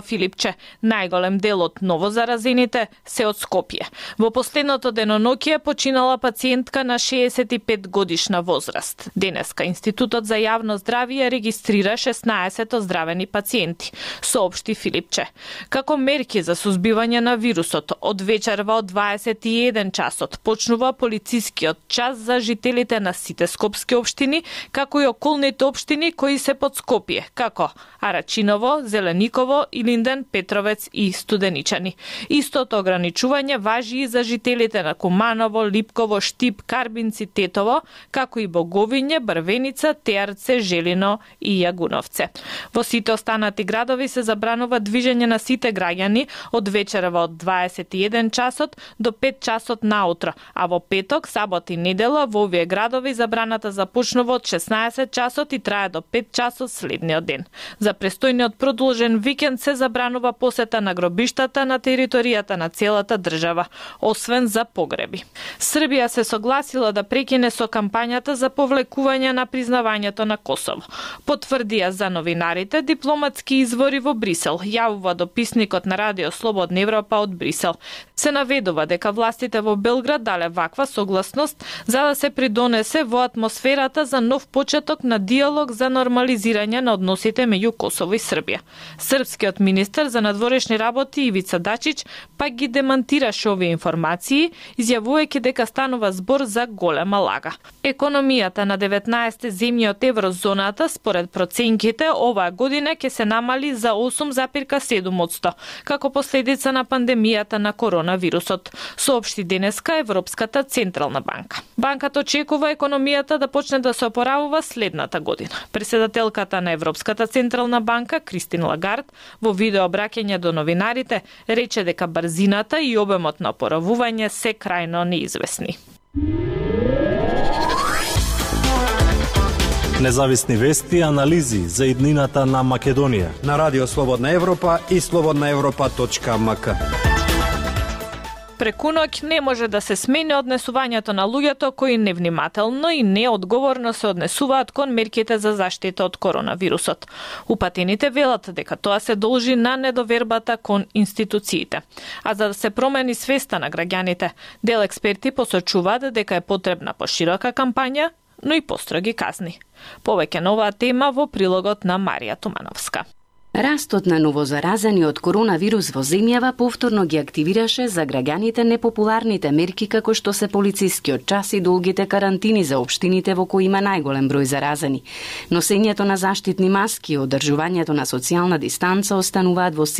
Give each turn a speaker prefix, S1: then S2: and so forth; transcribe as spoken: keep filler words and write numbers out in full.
S1: Филипче, најголем дел од новозаразените се од Скопје. Во последното деноноќие починала пациентка на шеесет и пет годишна возраст. Денеска Институтот за јавно здравје регистрира шеснаесет оздравени пациенти, соопшти Филипче. Како мерки за сузбивање на вирусот, од вечерва од дваесет и еден часот почнува полицискиот час за жителите на сите скопски општини, како и околните општини кои се под Скопје, како Арачиново, Зелениково, Илинден, Петровец и Студеничани. Истото ограничување важи и за жителите на Куманово, Липково, Штип, Карбинци, Тетово, како и Боговиње, Брвеница, Теарце, Желино и Јагуновце. Во сите останати градови се забранува движење на сите граѓани од вечерва од дваесет и еден часот до пет часот наутро, а во петок, сабот и недела во овие градови забраната започнува од шеснаесет часот и трае до пет часот следниот ден. За престојниот продолжен викенд се забранува посета на гробиштата на територијата на целата држава, освен за погреби. Србија се согласила да прекине со кампањата за повлекување на признавањето на Косово. Потврдија за новинарите дипломатски извори во Брисел, јавува дописникот на Радио Слободна Европа од Брисел. Се наведува дека властите во Белград дале ваква согласност за да се придонесе во атмосферата за нов почеток на диалог за нормализирање на односите меѓу Косово и Србија. Српскиот министер за надворешни работи Ивица Дачич пак ги демантираше овие информации, изјавувајќи дека станува збор за голема лага. Економијата на деветнаесет земји од еврозоната според проценките оваа година ќе се намали за осум зарез седум одсто, како последица на пандемијата на коронавирусот, соопшти денеска Европската централна банка. Банката очекува економијата да почне да се опоравува следната година. Председателката на Европската централна банка Кристин Лагард во видео обраќање до новинарите рече дека брзината и обемот на опоравување се крајно неизвестни.
S2: Независни вести и анализи за иднината на Македонија
S3: на Радио Слободна Европа и слободна европа точка ем ка.
S1: Преку ноќ не може да се смени однесувањето на луѓето кои невнимателно и неодговорно се однесуваат кон мерките за заштита од коронавирусот. Упатените велат дека тоа се должи на недовербата кон институциите. А за да се промени свеста на граѓаните, дел експерти посочуваат дека е потребна поширока кампања, но и построги казни. Повеќе на оваа тема во прилогот на Марија Тумановска.
S4: Растот на новозаразени од коронавирус во земјава повторно ги активираше за граѓаните непопуларните мерки како што се полицискиот час и долгите карантини за општините во кои има најголем број заразени. Носењето на заштитни маски и одржувањето на социјална дистанца остануваат во